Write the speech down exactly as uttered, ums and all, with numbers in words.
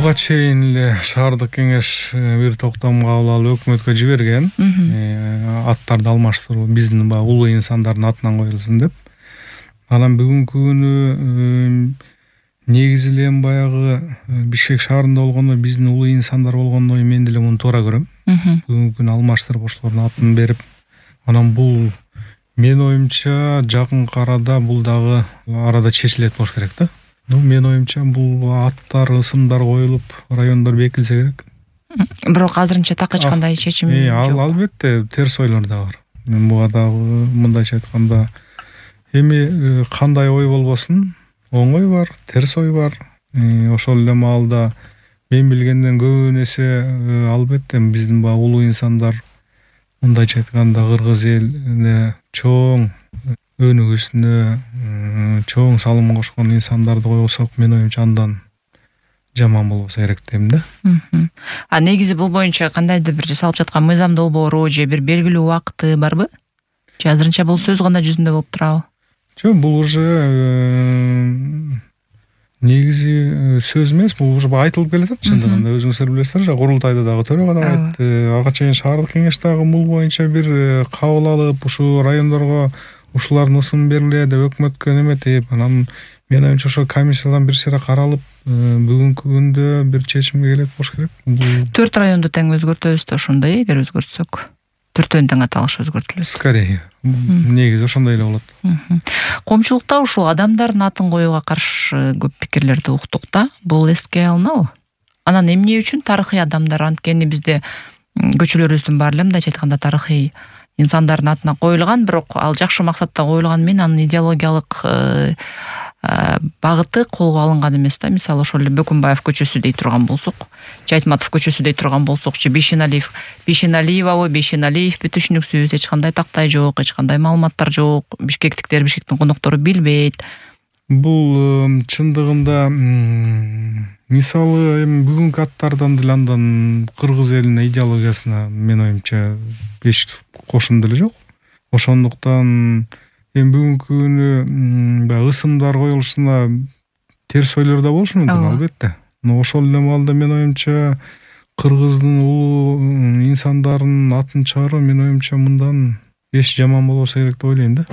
буга чейин эле шаардык кеңеш бир токтом кабыл алып өкмөткө жиберген. Аттарды алмаштыруу биздин баягы улуу инсандардын атынан коюлсун деп. Анан бүгүнкү күнү негизи эле баягы Бишкек шаарында болгондо биздин улуу инсандар болгондо мен деле муну туура көрөм. Бүгүнкү күнү алмаштырып ошолордун атын берип, анан бул мен оюмча жакынкы арада бул дагы арада чечилет болуш керек да. Ну, мен оюмча бул аттар, ысымдар коюлуп, райондор бекилсе керек. Бирок азырынча так эч кандай чечим жок. Албетте, терс ойлор да бар. Мен буга дагы мындайча айтканда эми кандай ой болбосун, оң ой бар, терс ой бар. Ошол эле маалда мен билгенден көп нерсе албетте биздин баягы улуу инсандар мындайча айтканда кыргыз элине чоң өнүгүүсүнө чоң салым кошкон инсандарды койсок, мен оюмча андан жаман болбосо керек дейм да. А негизи бул боюнча кандайдыр бир жасалып жаткан мыйзам долбоору же бир белгилүү убакыты барбы? Же азырынча бул сөз гана жүзүндө болуп турабы? Жок, бул уже негизи сөз эмес, бул уже айтылып келатат чындыгында. Өзүңүздөр билесиздер, курултайда дагы төрөгө дагы айтты. Ага чейин шаардык кеңеш дагы бул боюнча бир кабыл алып, ушу райондорго ушулардын ысым бериле деп өкмөткө неметип, анан мен оюмча ошо комиссиядан бир сыйра каралып, бүгүнкү күндө бир чечимге келет болуш керек. Төрт районду тең өзгөртөбүз да ошондой, эгер өзгөртсөк. Төртөөнүн тең аталышы өзгөртүлөт. Скорее. Негизи ошондой эле болот. Коомчулукта ушул адамдардын атын коюуга каршы көп пикирлерди уктук да. Бул эске алынабы? Анан эмне үчүн тарыхый адамдар, анткени бизде көчөлөрүбүздүн баары эле мындайча айтканда тарыхый инсандардын атына коюлган, бирок ал жакшы максатта коюлган менен анын идеологиялык багыты колго алынган эмес да. Мисалы ошол эле Бөкүнбаев көчөсү дей турган болсок, же Айтматов көчөсү дей турган болсок, же Бейшеналиев, Бейшеналиевабы, Бейшеналиевпи түшүнүксүз, эч кандай тактай жок, эч кандай маалыматтар жок. Бишкектиктер, Бишкектин коноктору билбейт. Бул чындыгында мисалы эми бүгүнкү аттардан деле андан кыргыз элине идеологиясына мен оюмча эч кошун деле жок. Ошондуктан эми бүгүнкү күнү баягы ысымдар коюлушуна терс ойлор да болушу мүмкүн, албетте. Но ошол эле маалда мен оюмча кыргыздын улуу инсандарынын атын чыгаруу мен оюмча мындан эч жаман болбосо керек деп ойлойм да.